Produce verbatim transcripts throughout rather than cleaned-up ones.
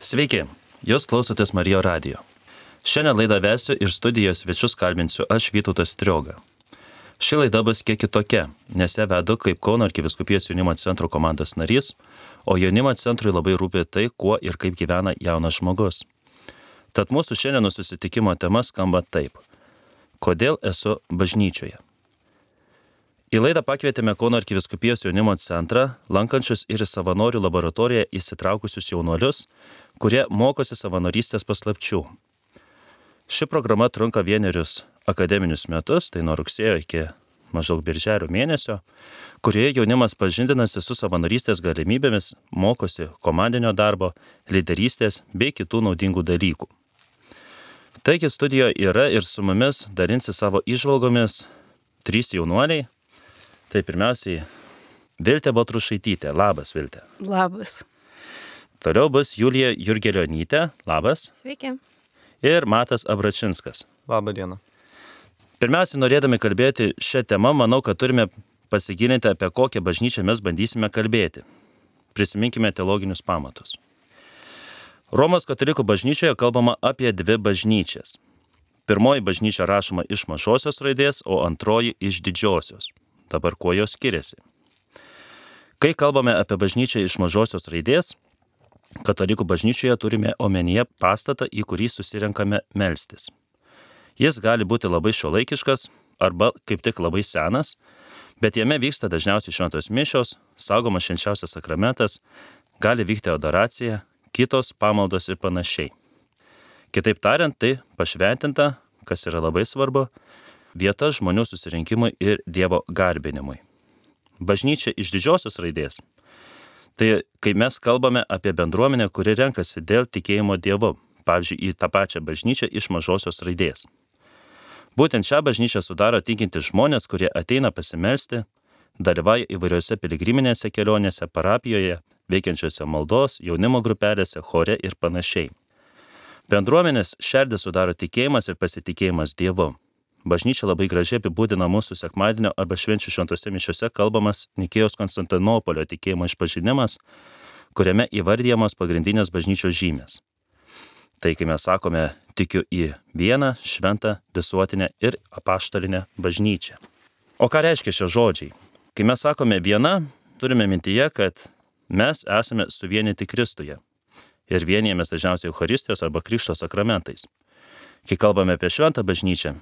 Sveiki, jūs klausotės Marijo radijo. Šiandien laidą vesiu ir studijos svečius kalbinsiu aš Vytautas Strioga. Ši laida bus kiek kitokia, nes ją vedu kaip Kauno arkivyskupijos jaunimo centro komandos narys, o jaunimo centrui labai rūpi tai, kuo ir kaip gyvena jaunas žmogus. Tad mūsų šiandieno susitikimo tema skamba taip. Kodėl esu bažnyčioje? Į laidą pakvietėme Kauno arkivyskupijos jaunimo centrą, lankančius ir į savanorių laboratoriją įsitraukusius jaunuolius, kurie mokosi savanorystės paslapčių. Ši programa trunka vienerius akademinius metus, tai nuo rugsėjo iki maždaug birželio mėnesio, kurioje jaunimas pažindinasi su savanorystės galimybėmis, mokosi komandinio darbo, lyderystės bei kitų naudingų dalykų. Taigi studijoje yra ir su mumis dalinsi savo įžvalgomis trys jaunuoliai. Tai pirmiausiai Viltė Baltrušaitytė. Labas, Viltė. Labas. Toliau bus Julija Jurgelionytė. Labas. Sveiki. Ir Matas Abračinskas. Labą dieną. Pirmiausiai, norėdami kalbėti šią temą, manau, kad turime pasigilinti, apie kokią bažnyčią mes bandysime kalbėti. Prisiminkime teologinius pamatus. Romos katalikų bažnyčioje kalbama apie dvi bažnyčias. Pirmoji bažnyčia rašoma iš mažosios raidės, o antroji iš didžiosios. Dabar kuo jos skiriasi? Kai kalbame apie bažnyčią iš mažosios raidės, katalikų bažnyčioje turime omenyje pastatą, į kurį susirenkame melstis. Jis gali būti labai šiuolaikiškas arba kaip tik labai senas, bet jame vyksta dažniausiai šventos mišios, saugomas švenčiausias sakramentas, gali vykti adoracija, kitos pamaldos ir panašiai. Kitaip tariant, tai pašventinta, kas yra labai svarbu, vieta žmonių susirinkimui ir Dievo garbinimui. Bažnyčia iš didžiosios raidės. Tai kai mes kalbame apie bendruomenę, kuri renkasi dėl tikėjimo Dievu, pavyzdžiui, į tą pačią bažnyčią iš mažosios raidės. Būtent šią bažnyčią sudaro tikintys žmonės, kurie ateina pasimelsti, dalyvauja įvairiose piligriminėse kelionėse, parapijoje, veikiančiose maldos, jaunimo grupelėse, chore ir panašiai. Bendruomenės šerdį sudaro tikėjimas ir pasitikėjimas Dievu. Bažnyčia labai gražiai apibūdina mūsų sekmadienio arba švenčių šventose mišiose kalbamas Nikėjos Konstantinopolio tikėjimo išpažinimas, kuriame įvardijamos pagrindinės bažnyčios žymės. Tai kai mes sakome, tikiu į vieną, šventą, visuotinę ir apaštalinę bažnyčią. O ką reiškia šie žodžiai? Kai mes sakome viena, turime mintyje, kad mes esame suvienyti Kristuje ir vienijamės dažniausiai Eucharistijos arba Krikšto sakramentais. Kai kalbame apie šventą bažnyčią,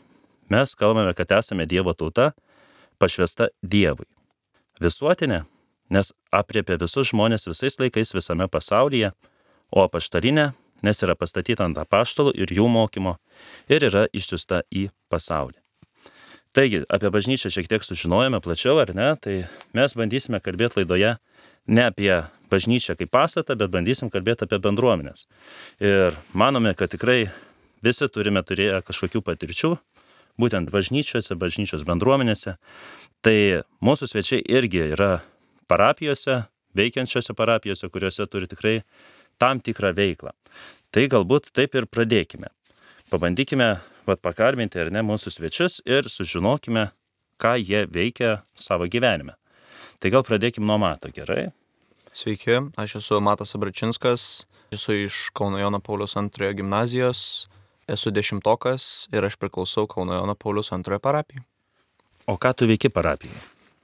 mes kalbame, kad esame Dievo tauta, pašvęsta Dievui. Visuotinė, nes apriepia visus žmonės visais laikais visame pasaulyje, o apaštalinė, nes yra pastatyta ant apaštalų ir jų mokymo ir yra išsiųsta į pasaulį. Taigi, apie bažnyčią šiek tiek sužinojome plačiau, ar ne? Tai mes bandysime kalbėti laidoje ne apie bažnyčią kaip pastatą, bet bandysim kalbėti apie bendruomenės. Ir manome, kad tikrai visi turime turėję kažkokių patirčių, būtent bažnyčiose, bažnyčios bendruomenėse. Tai mūsų svečiai irgi yra parapijose, veikiančiose parapijose, kuriuose turi tikrai tam tikrą veiklą. Tai galbūt taip ir pradėkime. Pabandykime vat, pakalbinti ar ne mūsų svečius ir sužinokime, ką jie veikia savo gyvenime. Tai gal pradėkime nuo Mato, gerai? Sveiki, aš esu Matas Abračinskas, esu iš Kauno Jono Pauliaus antrojo gimnazijos. Esu dešimtokas ir aš priklausau Kauno Jono Pauliaus antrojo parapijai. O ką tu veiki parapijai?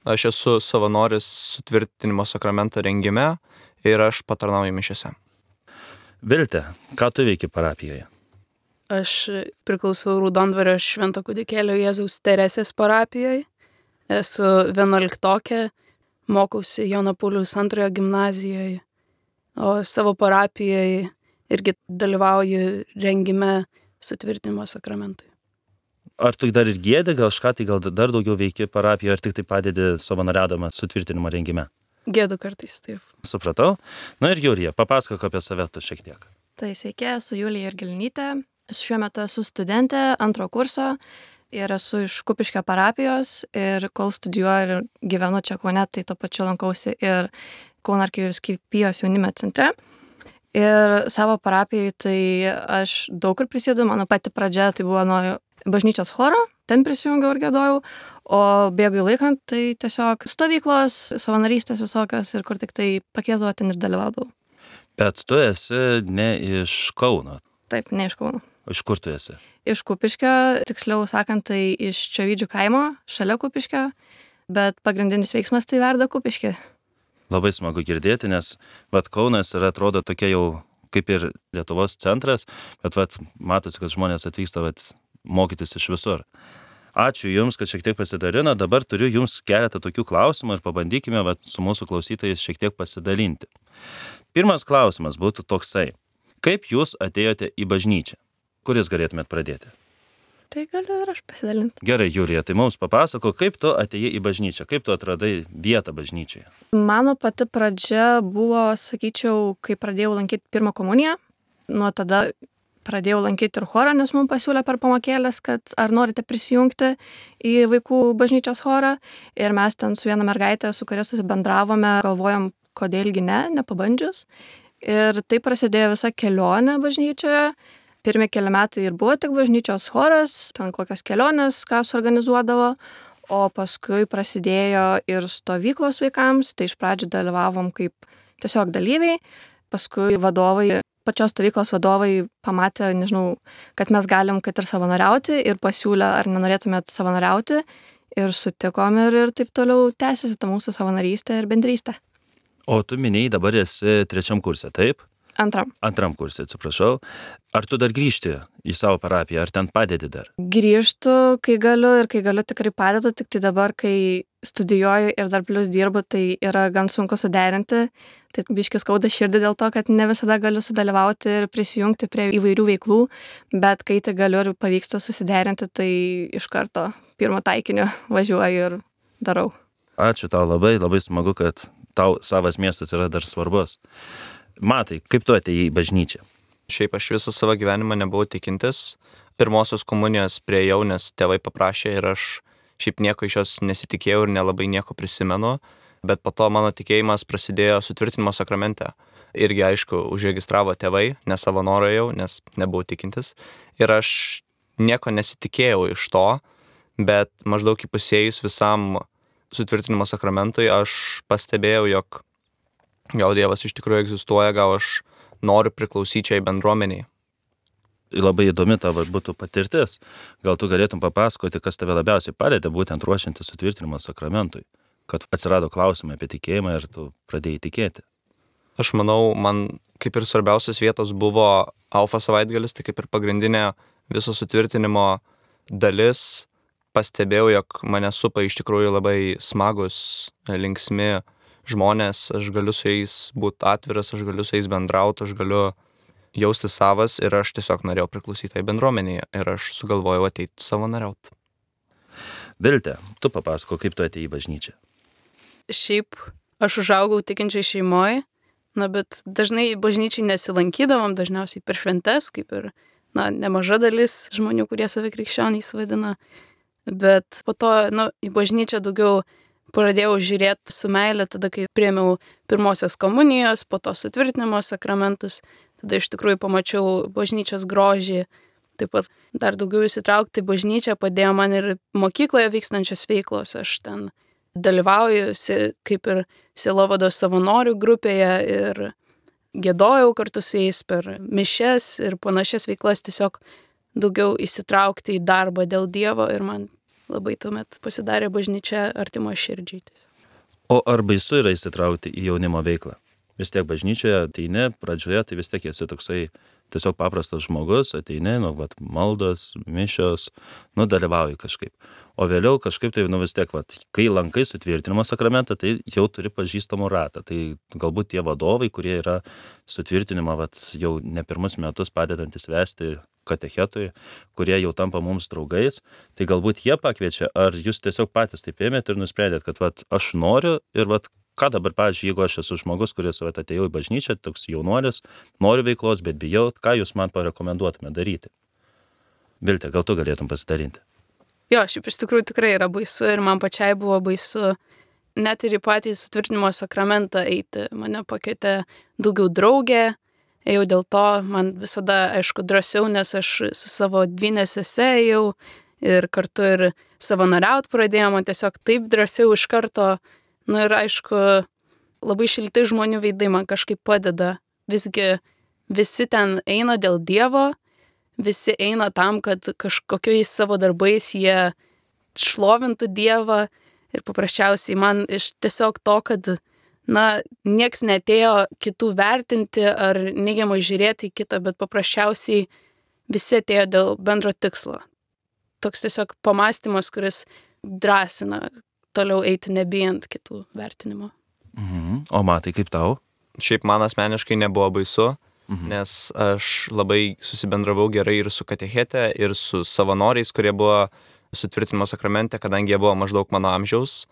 Aš esu savanoris sutvirtinimo sakramento rengime ir aš patarnauju mišiose. Viltė, ką tu veiki parapijoje? Aš priklausau Raudondvario Švento kūdikėlio Jėzaus Teresės parapijoje. Esu vienuoliktokė, mokausi Jono Pauliaus antrojo gimnazijoje, o savo parapijoje irgi dalyvauju rengime sutvirtinimo sakramentui. Ar tu dar ir giedi, gal kažką tai gal dar daugiau veiki parapijoje, ar tik tai padedi savanoriaudama sutvirtinimo rengime? Gėdu kartais, taip. Supratau. Na ir Julija, papasakok apie save tu šiek tiek. Tai sveiki, esu Julija Jurgelionytė. Šiuo metu esu studentė antro kurso ir esu iš Kupiškio parapijos ir kol studijuoju ir gyvenu čia Kaune, tai tuo pačiu lankausi ir Kauno arkivyskupijos jaunimo centre. Ir savo parapijai tai aš daug kur prisėdu, mano pati pradžia tai buvo nuo bažnyčios choro, ten prisijungiau ir giedojau, o bėgai laikant tai tiesiog stovyklos, savanorystės visokios ir kur tik tai pakviesdavo ten ir dalyvaudavau. Bet tu esi ne iš Kauno. Taip, ne iš Kauno. Iš kur tu esi? Iš Kupiškio, tiksliau sakant, tai iš Čiovydžių kaimo, šalia Kupiškio, bet pagrindinis veiksmas tai verda Kupiškį. Labai smagu girdėti, nes vat Kaunas yra atrodo tokia jau kaip ir Lietuvos centras, bet vat matosi, kad žmonės atvyksta vat mokytis iš visur. Ačiū Jums, kad šiek tiek pasidalino. Dabar turiu Jums keletą tokių klausimų ir pabandykime vat su mūsų klausytojais šiek tiek pasidalinti. Pirmas klausimas būtų toksai. Kaip Jūs atėjote į bažnyčią? Kuris galėtumėt pradėti? Tai galiu ir aš pasidalinti. Gerai, Julija, tai mums papasako, kaip tu atėjai į bažnyčią, kaip tu atradai vietą bažnyčioje. Mano pati pradžia buvo, sakyčiau, kai pradėjau lankyti pirmą komuniją. Nuo tada pradėjau lankyti ir chorą, nes mums pasiūlė per pamokėlės, kad ar norite prisijungti į vaikų bažnyčios chorą. Ir mes ten su viena mergaitė, su kuria susibendravome, galvojom, kodėlgi ne, nepabandžius. Ir tai prasidėjo visa kelionė bažnyčioje. Pirmi keli metai ir buvo tik bažnyčios choras, ten kokias kelionės, ką suorganizuodavo, o paskui prasidėjo ir stovyklos vaikams, tai iš pradžių dalyvavom kaip tiesiog dalyviai, paskui vadovai, pačios stovyklos vadovai pamatė, nežinau, kad mes galim kad ir savanoriauti ir pasiūlė, ar nenorėtumėt savanoriauti ir sutikom ir, ir taip toliau tęsiasi ta mūsų savanorystė ir bendrystė. O tu minėjai dabar esi trečiam kurse, taip? Antram. Antram kursui, atsiprašau. Ar tu dar grįžti į savo parapiją, ar ten padedi dar? Grįžtu, kai galiu ir kai galiu tikrai padedu, tik tai dabar, kai studijuoju ir dar plius dirbu, tai yra gan sunku suderinti. Tai biškis skauda širdį dėl to, kad ne visada galiu sudalyvauti ir prisijungti prie įvairių veiklų, bet kai tai galiu ir pavyksta susiderinti, tai iš karto pirmo taikinio važiuoju ir darau. Ačiū tau labai, labai smagu, kad tau savas miestas yra dar svarbus. Matai, kaip tu atėjai į bažnyčią? Šiaip aš visą savo gyvenimą nebuvau tikintis. Pirmosios komunijos priėjau, nes tėvai paprašė ir aš šiaip nieko iš jos nesitikėjau ir nelabai nieko prisimenu. Bet po to mano tikėjimas prasidėjo sutvirtinimo sakramente. Irgi, aišku, užregistravo tėvai, ne savo norą jau, nes nebuvau tikintis. Ir aš nieko nesitikėjau iš to, bet maždaug įpusėjus visam sutvirtinimo sakramentui aš pastebėjau, jog gal Dievas iš tikrųjų egzistuoja, gal aš noriu priklausyti šiai bendruomeniai. Labai įdomi tavo būtų patirtis. Gal tu galėtum papasakoti, kas tave labiausiai palėtė būtent ruošiantis sutvirtinimo sakramentui, kad atsirado klausimai apie tikėjimą ir tu pradėjai tikėti. Aš manau, man kaip ir svarbiausios vietos buvo Alfa savaitgalis, tai kaip ir pagrindinė viso sutvirtinimo dalis. Pastebėjau, jog mane supa iš tikrųjų labai smagus, linksmi žmonės, aš galiu su jais būti atviras, aš galiu su jais bendrauti, aš galiu jausti savas ir aš tiesiog norėjau priklausyti tai bendruomenėje ir aš sugalvojau ateiti savanoriauti. Vilte, tu papasako, kaip tu atėjai į bažnyčią. Šiaip aš užaugau tikinčiai šeimoje, na, bet dažnai bažnyčiai nesilankydavom, dažniausiai per šventes, kaip ir, na, nemaža dalis žmonių, kurie save krikščioniais vadina. Bet po to, nu, į bažnyčią daugiau pradėjau žiūrėti su meile tada, kai priėmiau pirmosios komunijos, po to sutvirtinimo sakramentus, tada iš tikrųjų pamačiau bažnyčios grožį, taip pat dar daugiau įsitraukti į bažnyčią padėjo man ir mokykloje vykstančios veiklos, aš ten dalyvauju kaip ir sielovados savanorių grupėje ir giedojau kartu su jais per mišias ir panašias veiklas, tiesiog daugiau įsitraukti į darbą dėl Dievo ir man labai tuomet pasidarė bažnyčia artimo širdžiai. O ar baisu yra įsitraukti į jaunimo veiklą? Vis tiek bažnyčioje ateini, pradžioje tai vis tiek esi toksai tiesiog paprastas žmogus, ateini, nu, vat, maldos, mišios, nu, dalyvauji kažkaip. O vėliau kažkaip tai, nu, vis tiek, vat, kai lankai sutvirtinimo sakramentą, tai jau turi pažįstamų ratą. Tai galbūt tie vadovai, kurie yra sutvirtinimą, vat, jau ne pirmus metus padedantis vesti katechetui, kurie jau tampa mums draugais, tai galbūt jie pakviečia, ar jūs tiesiog patys taip ėmėt ir nusprendėt, kad vat, aš noriu ir vat, ką dabar, pavyzdžiui, jeigu aš esu žmogus, kuris vat, atėjau į bažnyčią, toks jaunuolis, noriu veiklos, bet bijau, ką jūs man parekomenduotume daryti? Vilte, gal tu galėtum pasidalinti? Jo, šiaip iš tikrųjų tikrai yra baisu ir man pačiai buvo baisu net ir į patį sutvirtinimo sakramentą eiti. Mane pakvietė daugiau draugė, ėjau dėl to, man visada, aišku, drąsiau, nes aš su savo dvynė sese ėjau ir kartu ir savanoriaut pradėjau, man tiesiog taip drąsiau iš karto, nu ir aišku, labai šilti žmonių veidai man kažkaip padeda visgi visi ten eina dėl Dievo, visi eina tam, kad kažkokiais savo darbais jie šlovintų Dievą ir paprasčiausiai man iš tiesiog to, kad, na, nieks netėjo kitų vertinti ar neigiamai žiūrėti į kitą, bet paprasčiausiai visi atėjo dėl bendro tikslo. Toks tiesiog pamąstymas, kuris drąsina toliau eiti nebijant kitų vertinimo. Mhm. O Matai, kaip tau? Šiaip man asmeniškai nebuvo baisu, Mhm. nes aš labai susibendravau gerai ir su katechete, ir su savanoriais, kurie buvo sutvirtinimo sakramente, kadangi jie buvo maždaug mano amžiaus.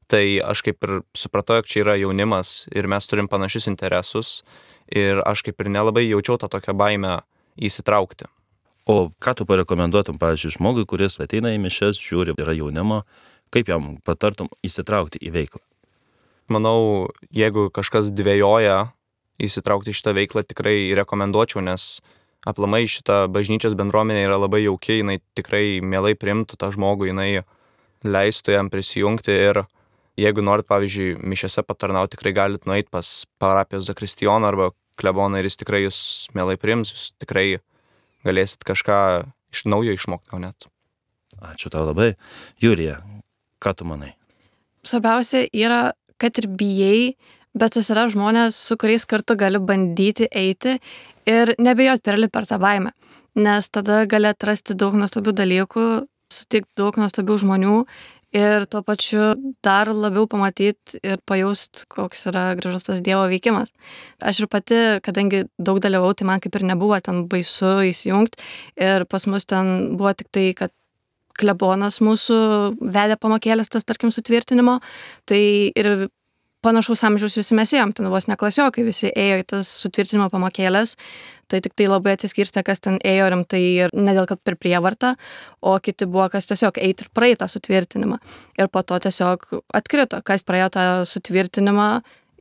Tai aš kaip ir supratau, jog čia yra jaunimas ir mes turim panašius interesus ir aš kaip ir nelabai jaučiau tą tokią baimę įsitraukti. O ką tu parekomenduotum, pavyzdžiui, žmogui, kuris ateina į mišias, žiūri, yra jaunimo, kaip jam patartum įsitraukti į veiklą? Manau, jeigu kažkas dvejoja įsitraukti į šitą veiklą, tikrai rekomenduočiau, nes aplamai šita bažnyčios bendruomenė yra labai jauki, jinai tikrai mielai priimtų tą žmogų, jinai leistų jam prisijungti ir jeigu norit, pavyzdžiui, mišiose patarnauti, tikrai galit nueiti pas parapijos zakristijoną arba kleboną ir jis tikrai jūs mielai priims, jūs tikrai galėsit kažką iš naujo išmokti, gal net. Ačiū tau labai. Julija, ką tu manai? Svarbiausia yra, kad ir bijai, bet susira žmonės, su kuriais kartu gali bandyti eiti ir nebijot perlipti per tą baimę, nes tada gali atrasti daug nuostabių dalykų, sutikti daug nuostabių žmonių ir tuo pačiu dar labiau pamatyti ir pajaust, koks yra gražus tas Dievo veikimas. Aš ir pati, kadangi daug dalyvau, tai man kaip ir nebuvo ten baisu įsijungti ir pas mus ten buvo tik tai, kad klebonas mūsų vedė pamokėlės tas, tarkim, sutvirtinimo, tai ir panašaus amžiaus visi mes ėjom, ten vos ne klasiokai visi ėjo į tas sutvirtinimo pamokėlės, tai tik tai labai atsiskirstė, kas ten ėjo rimtai ir ne dėl kad per prievartą, o kiti buvo, kas tiesiog eiti ir praeiti tą sutvirtinimą. Ir po to tiesiog atkrito, kas praėjo tą sutvirtinimą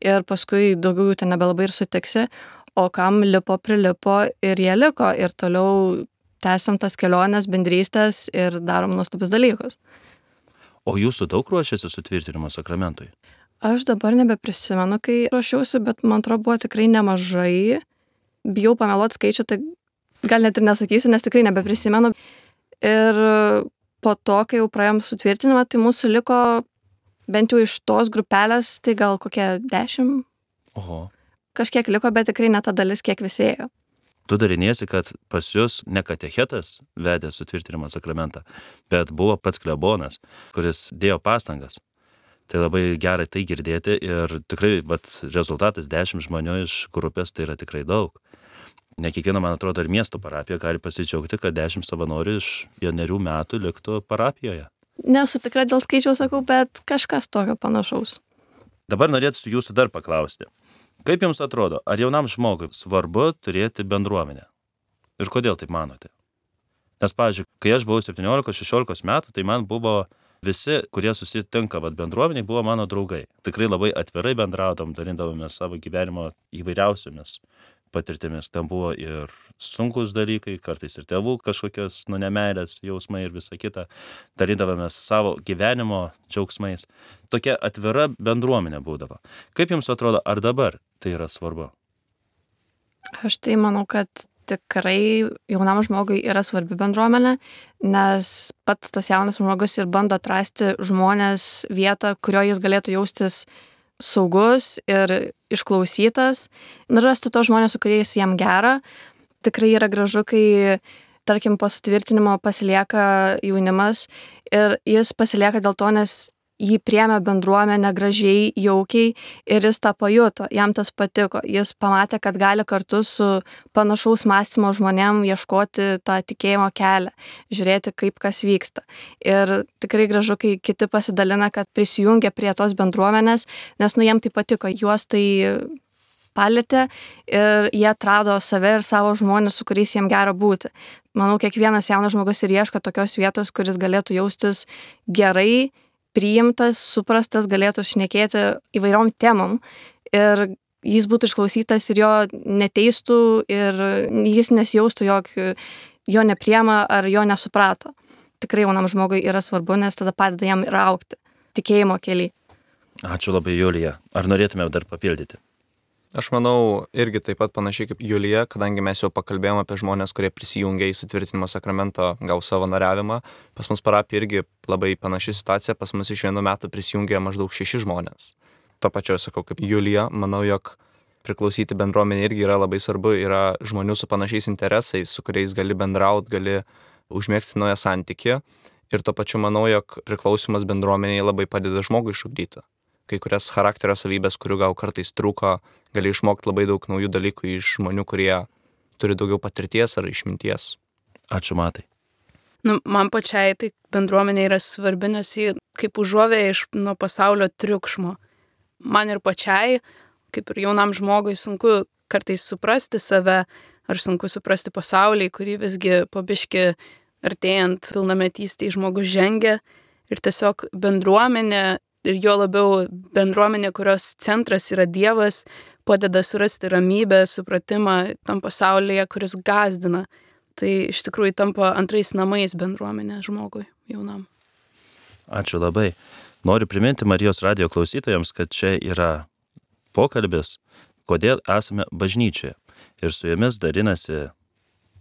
ir paskui daugiau jų ten nebelabai ir sutiksi, o kam lipo, prilipo ir jie liko ir toliau tęsiam tas keliones, bendrystės ir darom nuostabius dalykus. O jūsų daug ruošiasi sutvirtinimo sakramentui? Aš dabar nebeprisimenu, kai ruošiausi, bet man atrodo buvo tikrai nemažai. Bijau pameluoti skaičių, tai gal net ir nesakysiu, nes tikrai nebeprisimenu. Ir po to, kai jau praėjom sutvirtinimą, tai mūsų liko bent jau iš tos grupelės, tai gal kokie dešimt. Oho. Kažkiek liko, bet tikrai ne ta dalis, kiek visi ėjo. Tu dariniesi, kad pas jūs ne katechetas vedė sutvirtinimo sakramentą, bet buvo pats klebonas, kuris dėjo pastangas. Tai labai gerai tai girdėti ir tikrai vat, rezultatas dešimt žmonių iš grupės tai yra tikrai daug. Ne kiekviena, man atrodo, ir miesto parapija gali pasidžiaugti, kad dešimt savanorių iš vienerių metų liktų parapijoje. Nesu tikra dėl skaičiaus, sakau, bet kažkas tokio panašaus. Dabar norėtų jūsų dar paklausti. Kaip jums atrodo, ar jaunam žmogui svarbu turėti bendruomenę? Ir kodėl taip manote? Nes, pavyzdžiui, kai aš buvau septyniolikos šešiolikos metų, tai man buvo visi, kurie susitinka vat, bendruomeniai, buvo mano draugai. Tikrai labai atvirai bendraudom, dalindavome savo gyvenimo įvairiausiomis patirtimis. Ten buvo ir sunkus dalykai, kartais ir tėvų kažkokios nu, nemeilės jausmai ir visa kita. Dalindavome savo gyvenimo džiaugsmais. Tokia atvira bendruomenė būdavo. Kaip jums atrodo, ar dabar tai yra svarbu? Aš tai manau, kad tikrai jaunam žmogui yra svarbi bendruomenė, nes pats tas jaunas žmogus ir bando atrasti žmonės vietą, kurioje jis galėtų jaustis saugus ir išklausytas, ir rasti tos žmonės, su kuriais jam gera. Tikrai yra gražu, kai, tarkim, po sutvirtinimo pasilieka jaunimas ir jis pasilieka dėl to, nes jį priėmė bendruomenę gražiai, jaukiai ir jis tą pajuto, jam tas patiko. Jis pamatė, kad gali kartu su panašaus mąstymo žmonėm ieškoti tą tikėjimo kelią, žiūrėti, kaip kas vyksta. Ir tikrai gražu, kai kiti pasidalina, kad prisijungia prie tos bendruomenės, nes nu jiem tai patiko, juos tai palėtė ir jie atrado save ir savo žmonės, su kuriais jiem gera būti. Manau, kiekvienas jaunas žmogus ir ieško tokios vietos, kuris galėtų jaustis gerai, priimtas, suprastas, galėtų šnekėti įvairiom temom ir jis būtų išklausytas ir jo neteistų ir jis nesijaustų, jog jo nepriema ar jo nesuprato. Tikrai jaunam žmogui yra svarbu, nes tada padeda jam ir augti tikėjimo keliai. Ačiū labai, Julija. Ar norėtume dar papildyti? Aš manau, irgi taip pat panašiai kaip Julija, kadangi mes jau pakalbėjome apie žmonės, kurie prisijungia į sutvirtinimo sakramento, gau savanoriavimą. Pas mus parapija irgi labai panaši situacija, pas mus iš vienų metų prisijungia maždaug šeši žmonės. To pačio sakau kaip Julija, manau, jog priklausyti bendruomenė irgi yra labai svarbu, yra žmonių su panašiais interesais, su kuriais gali bendrauti, gali užmėgsti naują santykį. Ir to pačiu manau, jog priklausimas bendruomeniai labai padeda žmogui išugdyti. Kai kurias charakterio savybės, kurių gal kartais trūko, gali išmokti labai daug naujų dalykų iš žmonių, kurie turi daugiau patirties ar išminties. Ačiū, Matai. Nu, man pačiai tai bendruomenė yra svarbi, nes ji kaip užuovėja iš nuo pasaulio triukšmo. Man ir pačiai, kaip ir jaunam žmogui, sunku kartais suprasti save, ar sunku suprasti pasaulį, kurį visgi pabiški artėjant pilnametystei žmogus žengia. Ir tiesiog bendruomenė, ir jo labiau bendruomenė, kurios centras yra Dievas, padeda surasti ramybę, supratimą tam pasaulyje, kuris gazdina. Tai iš tikrųjų tampa antrais namais bendruomenė žmogui jaunam. Ačiū labai. Noriu priminti Marijos radijo klausytojams, kad čia yra pokalbis, kodėl esame bažnyčioje. Ir su jumis dalinasi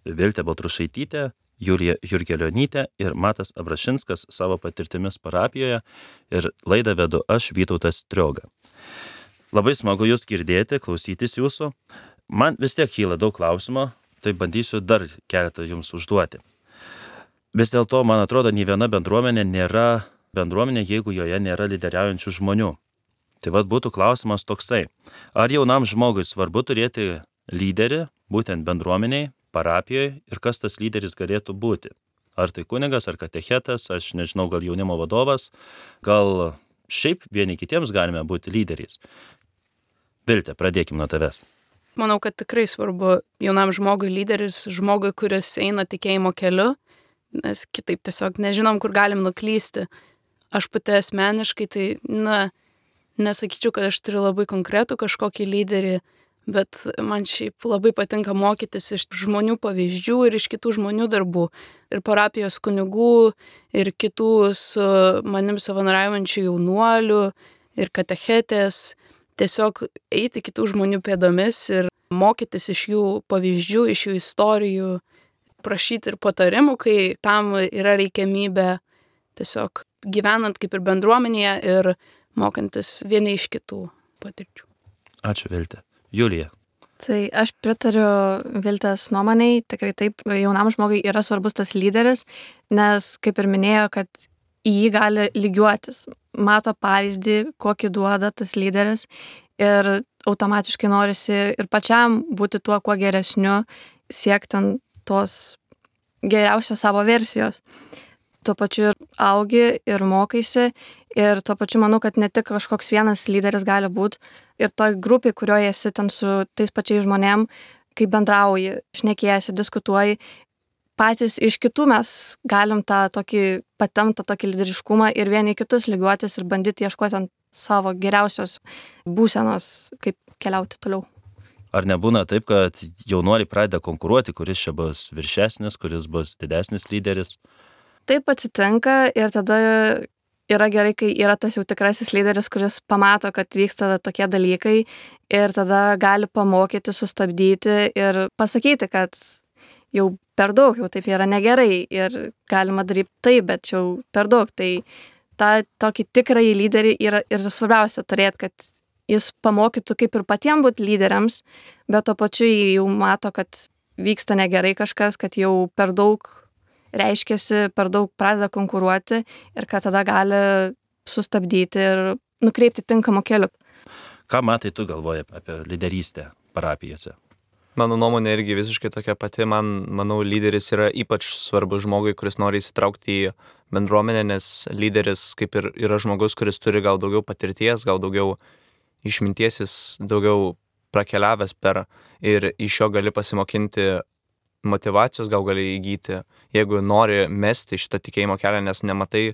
Viltė Baltrušaitytė, Julija Jurgelionytė ir Matas Abrašinskas savo patirtimis parapijoje, ir laidą vedu aš, Vytautas Strioga. Labai smagu jūs girdėti, klausytis jūsų. Man vis tiek kyla daug klausimų, tai bandysiu dar keletą jums užduoti. Vis dėlto, man atrodo, nei viena bendruomenė nėra bendruomenė, jeigu joje nėra lyderiaujančių žmonių. Tai vad būtų klausimas toksai. Ar jaunam žmogui svarbu turėti lyderį, būtent bendruomeniai, parapijoje, ir kas tas lyderis galėtų būti? Ar tai kunigas, ar katechetas, aš nežinau, gal jaunimo vadovas, gal šiaip vieni kitiems galime būti lyderiais. Viltė, pradėkim nuo tavęs. Manau, kad tikrai svarbu jaunam žmogui lyderis, žmogui, kuris eina tikėjimo keliu, nes kitaip tiesiog nežinom, kur galim nuklysti. Aš pati asmeniškai, tai, na, nesakyčiau, kad aš turiu labai konkretų kažkokį lyderį, bet man šiaip labai patinka mokytis iš žmonių pavyzdžių ir iš kitų žmonių darbų. Ir parapijos kunigų, ir kitų su manim savanoriaujančių jaunuolių, ir katechetės. Tiesiog eiti kitų žmonių pėdomis ir mokytis iš jų pavyzdžių, iš jų istorijų, prašyti ir patarimų, kai tam yra reikiamybė, tiesiog gyvenant kaip ir bendruomenėje ir mokantis vieni iš kitų patirčių. Ačiū, Viltė. Julija. Tai aš pritariu Viltės nuomoniai, tikrai taip, jaunam žmogui yra svarbus tas lyderis, nes kaip ir minėjo, kad į jį gali lygiuotis, mato pavyzdį, kokį duoda tas lyderis ir automatiškai norisi ir pačiam būti tuo, kuo geresniu, siekti tos geriausios savo versijos. Tuo pačiu ir augi ir mokaisi ir tuo pačiu manau, kad ne tik kažkoks vienas lyderis gali būti ir toj grupiai, kurioje esi ten su tais pačiais žmonėm, kai bendrauji, šnekėjasi, diskutuoji, patys iš kitų mes galim tą tokį patemtą tokį lyderiškumą ir vieni kitus lygiuotis ir bandyti ieškoti ant savo geriausios būsenos, kaip keliauti toliau. Ar nebūna taip, kad jaunuoliai pradeda konkuruoti, kuris čia bus viršesnis, kuris bus didesnis lyderis? Taip atsitinka ir tada yra gerai, kai yra tas jau tikrasis lyderis, kuris pamato, kad vyksta tokie dalykai ir tada gali pamokyti, sustabdyti ir pasakyti, kad jau per daug, jau taip yra negerai ir galima daryti taip, bet jau per daug. Tai tą tokį tikrąjį lyderį yra ir svarbiausia turėti, kad jis pamokytų kaip ir patiems būti lyderiams, bet to pačiu jau mato, kad vyksta negerai kažkas, kad jau per daug reiškiasi, per daug pradeda konkuruoti ir kad tada gali sustabdyti ir nukreipti tinkamą keliu. Ką Matai tu galvoji apie lyderystę parapijose? Mano nuomonė irgi visiškai tokia pati. Man, manau, lyderis yra ypač svarbus žmogui, kuris nori įsitraukti į bendruomenę, nes lyderis kaip ir yra žmogus, kuris turi gal daugiau patirties, gal daugiau išminties, jis daugiau prakeliavęs per ir iš jo gali pasimokinti motyvacijos, gal gali įgyti, jeigu nori mesti šitą tikėjimo kelią, nes nematai,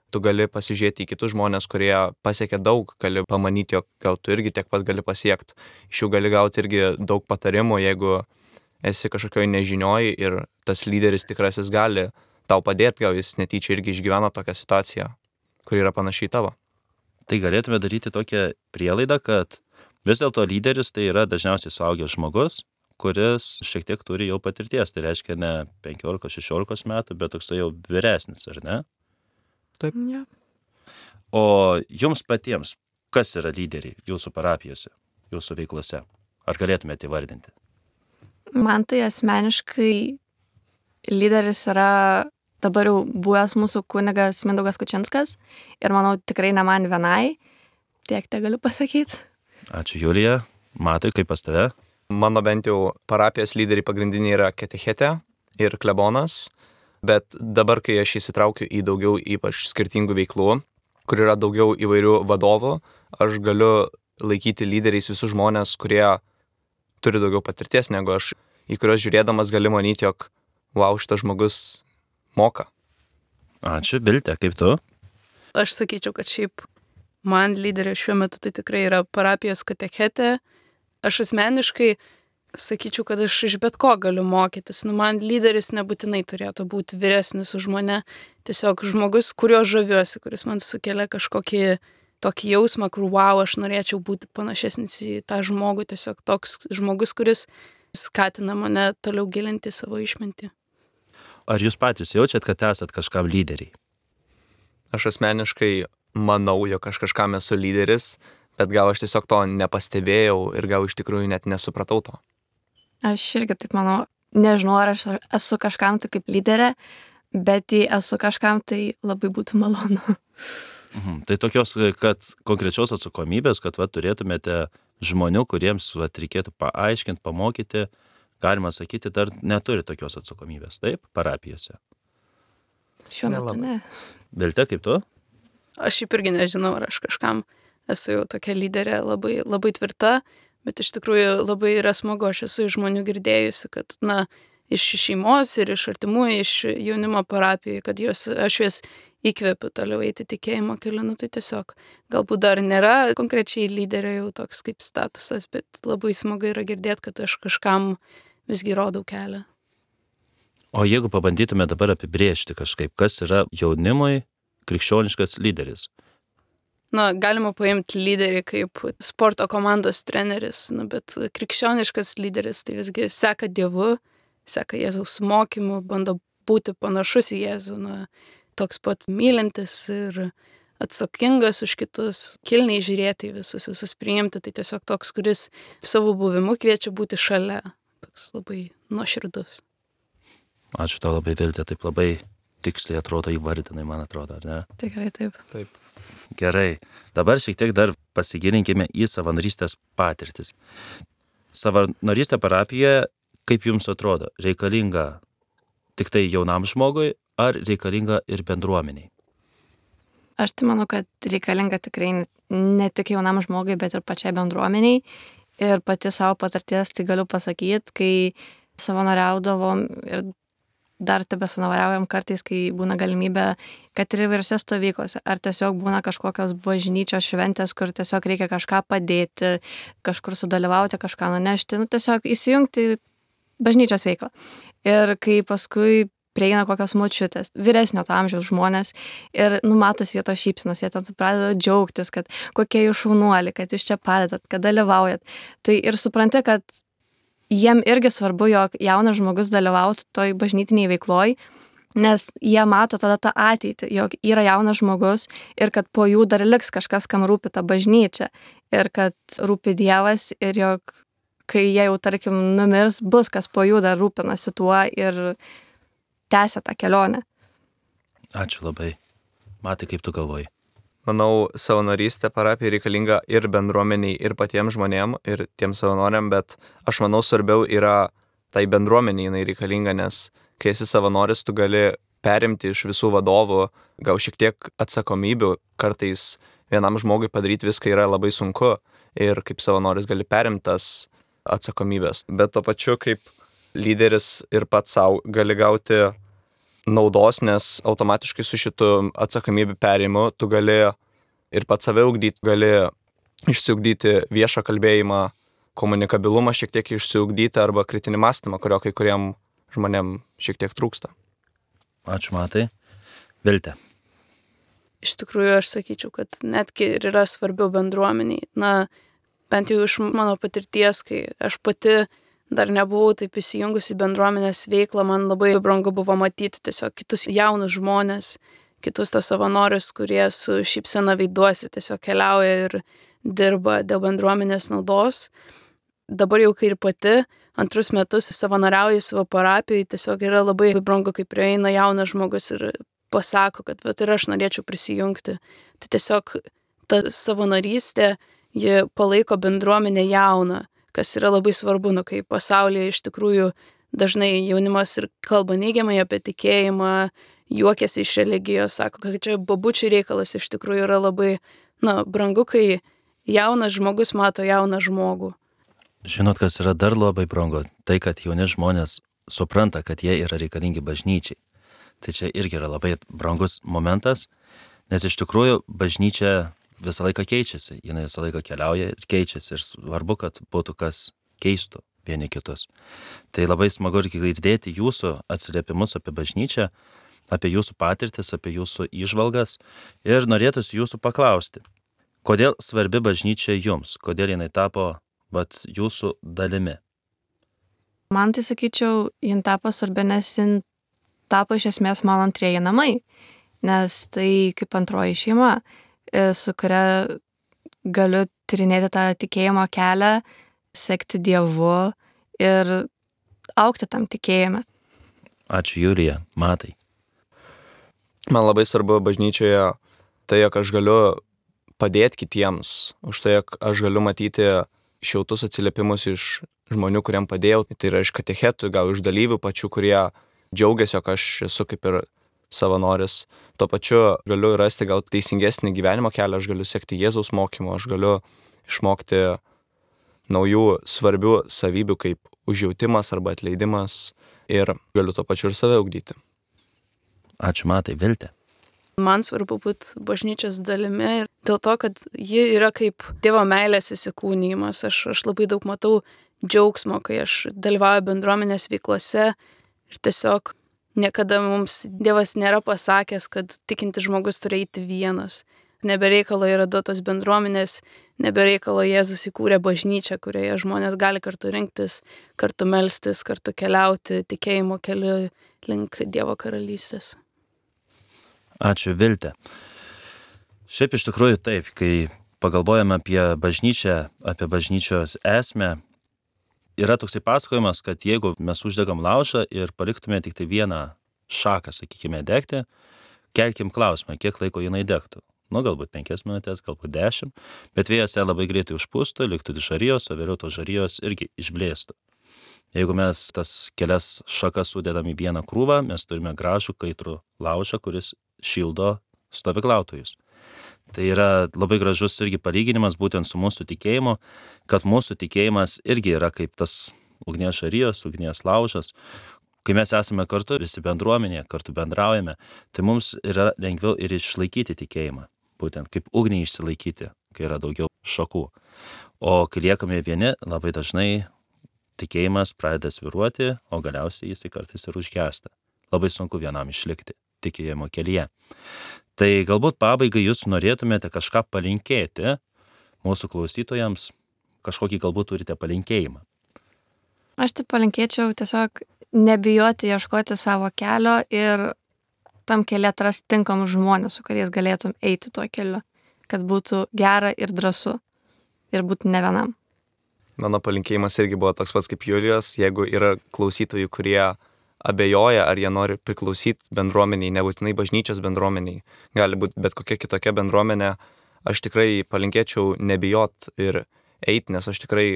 tu gali pasižiūrėti į kitus žmonės, kurie pasiekia daug, gali pamanyti, jog gal tu irgi tiek pat gali pasiekti. Iš jų gali gauti irgi daug patarimų, jeigu esi kažkokioj nežinioj ir tas lyderis tikrasis gali tau padėti, gal jis netyčia irgi išgyveno tokią situaciją, kuri yra panašiai tavo. Tai galėtume daryti tokią prielaidą, kad Vis dėlto lyderis tai yra dažniausiai suaugęs žmogus, kuris šiek tiek turi jau patirties. Tai reiškia ne penkiolika šešiolika metų, bet toksai jau vyresnis, ar ne? Taip. Ja. O jums patiems, kas yra lyderiai jūsų parapijose, jūsų veiklose? Ar galėtumėte įvardinti? Man tai asmeniškai lyderis yra dabar jau buvęs mūsų kunigas Mindaugas Kučinskas ir manau tikrai ne man vienai, tiek te galiu pasakyti. Ačiū, Julija. Matai, kaip pas tave? Mano bent jau parapijos lyderiai pagrindiniai yra katechetė ir klebonas, bet dabar, kai aš įsitraukiu į daugiau ypač skirtingų veiklų, kur yra daugiau įvairių vadovų, aš galiu laikyti lyderiais visus žmonės, kurie turi daugiau patirties negu aš, į kuriuos žiūrėdamas gali manyti, jog wow, šitas žmogus moka. Ačiū, Bilte, kaip tu? Aš sakyčiau, kad šiaip man lyderė šiuo metu tai tikrai yra parapijos katechetė. Aš asmeniškai sakyčiau, kad aš iš bet ko galiu mokytis. Nu, man lyderis nebūtinai turėtų būti vyresnis už mane. Tiesiog žmogus, kurio žaviuosi, kuris man sukelia kažkokį tokį jausmą, kur wow, aš norėčiau būti panašesnis į tą žmogų. Tiesiog toks žmogus, kuris skatina mane toliau gilinti savo išmintį. Ar jūs patys jaučiat, kad esat kažkam lyderiai? Aš asmeniškai manau, jog aš kažkam esu lyderis, bet gal aš tiesiog to nepastebėjau ir gal iš tikrųjų net nesupratau to. Aš irgi taip manau, nežinau, ar aš esu kažkam tai kaip lyderė, bet jei esu kažkam, tai labai būtų malonu. Mhm. Tai tokios, kad konkrečios atsakomybės, kad va, turėtumėte žmonių, kuriems va, reikėtų paaiškinti, pamokyti, galima sakyti, dar neturi tokios atsakomybės, taip, parapijose? Šiuo metu Nelabai. ne. Bilte, kaip tu? Aš šiaip irgi nežinau, ar aš kažkam esu jau tokia lyderė labai, labai tvirta, bet iš tikrųjų labai yra smagu, aš esu iš žmonių girdėjusi, kad, na, iš šeimos ir iš artimų, iš jaunimo parapijų, kad jos, aš jas įkvepiu toliau eiti tikėjimo keliu, nu tai tiesiog galbūt dar nėra konkrečiai lyderio jau toks kaip statusas, bet labai smagu yra girdėti, kad aš kažkam visgi rodau kelią. O jeigu pabandytume dabar apibrėžti kažkaip, kas yra jaunimui krikščioniškas lyderis? Na, galima paimti lyderį kaip sporto komandos treneris, nu, bet krikščioniškas lyderis tai visgi seka Dievu, seka Jėzaus mokymu, bando būti panašus į Jėzų, na, toks pat mylintis ir atsakingas už kitus, kilniai žiūrėti į visus, visus priimti, tai tiesiog toks, kuris savo buvimu kviečia būti šalia, toks labai nuoširdus. Ačiū tau labai, Vilte, taip labai tiksliai atrodo įvardinai, man atrodo, ar ne? Tikrai taip. Taip. Gerai, dabar šiek tiek dar pasigilinkime į savanorystės patirtis. Savanorystė parapijoje, kaip jums atrodo, reikalinga tik tai jaunam žmogui ar reikalinga ir bendruomeniai? Aš tai manau, kad reikalinga tikrai ne tik jaunam žmogui, bet ir pačiai bendruomeniai. Ir pati savo patirties tai galiu pasakyti, kai savanoriaudavom ir dar tebe savanoriaujam kartais, kai būna galimybė, kad ir įvairiose stovyklose, ar tiesiog būna kažkokios bažnyčios šventės, kur tiesiog reikia kažką padėti, kažkur sudalyvauti, kažką nunešti, nu tiesiog įsijungti bažnyčios veiklą. Ir kai paskui prieina kokios močiutės, vyresnio to amžiaus žmonės ir numatosi jie to šypsenos, jie ten pradeda džiaugtis, kad kokie jūs šaunuoliai, kad jūs čia padedat, kad dalyvaujat. Tai ir supranti, kad jiem irgi svarbu, jog jaunas žmogus dalyvautų toj bažnytiniai veikloj, nes jie mato tada tą ateitį, jog yra jaunas žmogus ir kad po jų dar liks kažkas, kam rūpi ta bažnyčia ir kad rūpi Dievas ir jog kai jie jau, tarkim, numirs, bus kas po jų dar rūpinasi tuo ir tęsia tą kelionę. Ačiū labai. Matai, kaip tu galvoji? Manau, savanorystė parapijai reikalinga ir bendruomeniai, ir patiems žmonėm, ir tiems savanoriam, bet aš manau, svarbiau yra tai bendruomeniai jinai reikalinga, nes kai esi savanoris, tu gali perimti iš visų vadovų, gal šiek tiek atsakomybių, kartais vienam žmogui padaryti viską yra labai sunku ir kaip savanoris gali perimtas atsakomybės, bet to pačiu kaip lyderis ir pats savo gali gauti naudos, nes automatiškai su šitu atsakomybių perėjimu tu gali ir pats save ugdyti, gali išsiugdyti viešą kalbėjimą, komunikabilumą šiek tiek išsiugdyti arba kritinį mąstymą, kurio kai kuriem žmonėm šiek tiek trūksta. Ačiū, Matai. Vilte. Iš tikrųjų, aš sakyčiau, kad netgi ir yra svarbiau bendruomeniai. Na, bent jau iš mano patirties, kai aš pati dar nebuvau taip įsijungusi į bendruomenės veiklą, man labai brangu buvo matyti tiesiog kitus jaunus žmonės, kitus tos savanorius, kurie su šypsena veiduosi tiesiog keliauja ir dirba dėl bendruomenės naudos. Dabar jau kai ir pati antrus metus savanoriauju savo parapijai, tiesiog yra labai brangu, kai prieina jaunas žmogus ir pasako, kad vat, ir aš norėčiau prisijungti. Tai tiesiog ta savanorystė, ji palaiko bendruomenę jauną, kas yra labai svarbu, nu, kai pasaulyje iš tikrųjų dažnai jaunimas ir kalba neigiamai apie tikėjimą, juokiasi iš religijos, sako, kad čia babučių reikalas, iš tikrųjų yra labai, na, brangu, kai jaunas žmogus mato jauną žmogų. Žinot, kas yra dar labai brangu? Tai, kad jauni žmonės supranta, kad jie yra reikalingi bažnyčiai. Tai čia irgi yra labai brangus momentas, nes iš tikrųjų bažnyčia visą laiką keičiasi, jinai visą laiką keliauja ir keičiasi ir svarbu, kad būtų kas keistų vieni kitus. Tai labai smagu ir girdėti jūsų atsiliepimus apie bažnyčią, apie jūsų patirtis, apie jūsų įžvalgas ir norėtųsi jūsų paklausti, kodėl svarbi bažnyčia jums, kodėl jinai tapo vat, jūsų dalimi? Man tai sakyčiau, jin tapo svarbi, nes jin tapo iš esmės mano antrieji namai, nes tai kaip antroji šeima, su kuria galiu tyrinėti tą tikėjimo kelią, sekti Dievu ir augti tam tikėjime. Ačiū, Julija. Matai. Man labai svarbu bažnyčioje tai, jog aš galiu padėti kitiems, už tai, jog aš galiu matyti šiltus atsiliepimus iš žmonių, kuriem padėjau. Tai yra iš katechetų, gal iš dalyvių pačių, kurie džiaugiasi, jog aš esu kaip ir savanoris. Tuo pačiu galiu rasti gal teisingesnį gyvenimo kelią, aš galiu sekti Jėzaus mokymo, aš galiu išmokti naujų svarbių savybių kaip užjautimas arba atleidimas ir galiu tuo pačiu ir save ugdyti. Ačiū, Matai. Viltė. Man svarbu būti bažnyčios dalimi ir dėl to, kad ji yra kaip Dievo meilės įsikūnijimas. Aš, aš labai daug matau džiaugsmo, kai aš dalyvauju bendruomenės veiklose ir tiesiog niekada mums Dievas nėra pasakęs, kad tikintis žmogus turi eiti vienas. Nebereikalo yra duotos bendruomenės, nebereikalo Jėzus įkūrė bažnyčią, kurioje žmonės gali kartu rinktis, kartu melstis, kartu keliauti tikėjimo keliu link Dievo karalystės. Ačiū, Viltė. Šiaip iš tikrųjų taip, kai pagalvojame apie bažnyčią, apie bažnyčios esmę, yra toksai pasakojimas, kad jeigu mes uždegam laužą ir paliktume tik tai vieną šaką, sakykime, degti, kelkim klausimą, kiek laiko jinai degtų. Nu, galbūt penkias minutės, galbūt dešimt, bet vėjas ją labai greitai užpūstų, liktų žarijos, o vėliau tos žarijos irgi išblėstų. Jeigu mes tas kelias šakas sudedam į vieną krūvą, mes turime gražų kaitrų laužą, kuris šildo stovyklautojus. Tai yra labai gražus irgi palyginimas būtent su mūsų tikėjimu, kad mūsų tikėjimas irgi yra kaip tas ugnies žarijos, ugnies laužas. Kai mes esame kartu, visi bendruomenėje, kartu bendraujame, tai mums yra lengviau ir išlaikyti tikėjimą. Būtent kaip ugniai išsilaikyti, kai yra daugiau šakų. O kai liekame vieni, labai dažnai tikėjimas pradeda svyruoti, o galiausiai jis kartais ir užgęsta. Labai sunku vienam išlikti tikėjimo kelyje. Tai galbūt pabaigai jūs norėtumėte kažką palinkėti mūsų klausytojams, kažkokį galbūt turite palinkėjimą. Aš tai palinkėčiau tiesiog nebijoti ieškoti savo kelio ir tam kelyje atrasti tinkamus žmonės, su kuriais galėtum eiti tuo keliu, kad būtų gera ir drąsu ir būtų ne vienam. Mano palinkėjimas irgi buvo toks pats kaip Julijos, jeigu yra klausytojų, kurie abejoja, ar jie nori priklausyti bendruomeniai, nebūtinai bažnyčios bendruomeniai, gali būti bet kokia kitokia bendruomenė, aš tikrai palinkėčiau nebijot ir eiti, nes aš tikrai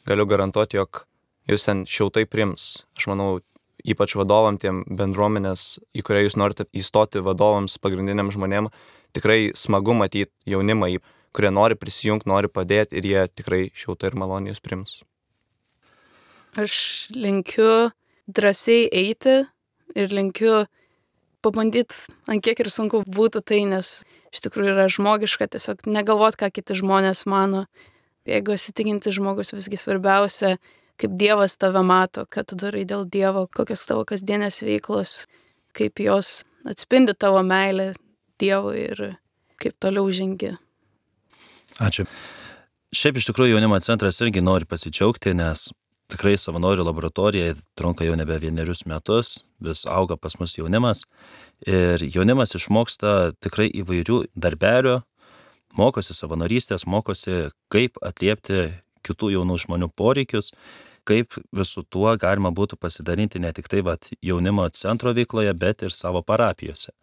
galiu garantuoti, jog jūs ten šiltai priims. Aš manau, ypač vadovam tiem bendruomenės, į kurią jūs norite įstoti vadovams, pagrindiniam žmonėm, tikrai smagu matyti jaunimą, kurie nori prisijungti, nori padėti ir jie tikrai šiltai ir maloniai jūs priims. Aš linkiu drąsiai eiti ir linkiu pabandyti, ant kiek ir sunku būtų tai, nes iš tikrųjų yra žmogiška tiesiog negalvot, ką kiti žmonės mano. Jeigu esi tikintis žmogus, visgi svarbiausia, kaip Dievas tave mato, kad tu darai dėl Dievo, kokios tavo kasdienės veiklos, kaip jos atspindi tavo meilę Dievui ir kaip toliau žengi. Ačiū. Šiaip iš tikrųjų jaunimo centras irgi nori pasidžiaugti, nes tikrai savanorių laboratorija trunka jau nebe vienerius metus, vis auga pas mus jaunimas ir jaunimas išmoksta tikrai įvairių darbelių, mokosi savanorystės, mokosi kaip atliepti kitų jaunų žmonių poreikius, kaip visų tuo galima būtų pasidalinti ne tik tai vat, jaunimo centro veikloje, bet ir savo parapijose.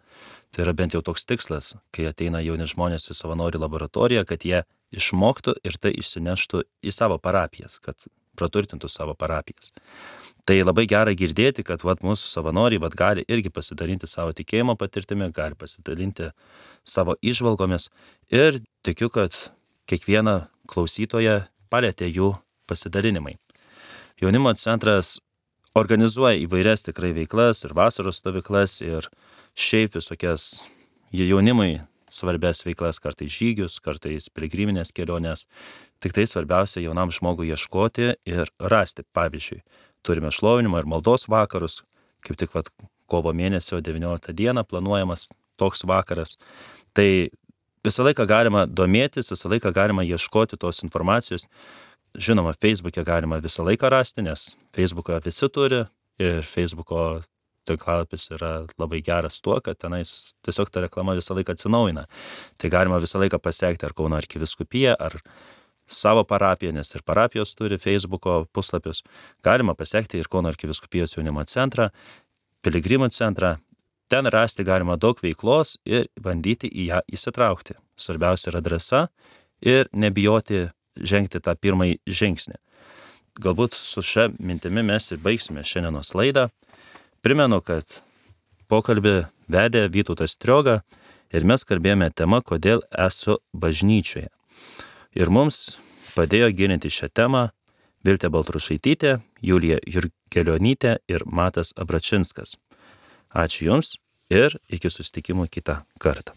Tai yra bent jau toks tikslas, kai ateina jauni žmonės į savanorių laboratoriją, kad jie išmoktų ir tai išsineštų į savo parapijas, kad praturtintų savo parapijas. Tai labai gera girdėti, kad vat, mūsų savanoriai vat, gali irgi pasidalinti savo tikėjimo patirtimi, gali pasidalinti savo įžvalgomis ir tikiu, kad kiekvieną klausytoją palėtė jų pasidalinimai. Jaunimo centras organizuoja įvairias tikrai veiklas ir vasaros stovyklas ir šiaip visokias jaunimui svarbias veiklas, kartais žygius, kartais piligriminės kelionės. Tik tai svarbiausia jaunam žmogui ieškoti ir rasti. Pavyzdžiui, turime šlovinimo ir maldos vakarus, kaip tik vat, kovo mėnesio devynioliktą dieną planuojamas toks vakaras. Tai visą laiką galima domėtis, visą laiką galima ieškoti tos informacijos. Žinoma, Facebook'e galima visą laiką rasti, nes Facebook'ą visi turi ir Facebook'o tinklalapis yra labai geras tuo, kad tenais tiesiog ta reklama visą laiką atsinaujina. Tai galima visą laiką pasiekti ar Kauno arkivyskupija, ar savo parapiją, nes ir parapijos turi Facebook'o puslapius. Galima pasiekti ir Kauno arkivyskupijos jaunimo centrą, piligrimų centrą. Ten rasti galima daug veiklos ir bandyti į ją įsitraukti. Svarbiausia yra drąsa ir nebijoti žengti tą pirmąjį žingsnį. Galbūt su šia mintimi mes ir baigsime šiandienos laidą. Primenu, kad pokalbį vedė Vytautas Strioga ir mes kalbėjome tema, kodėl esu bažnyčioje. Ir mums padėjo gilinti šią temą Viltė Baltrušaitytė, Julija Jurkelionytė ir Matas Abračinskas. Ačiū Jums ir iki susitikimų kitą kartą.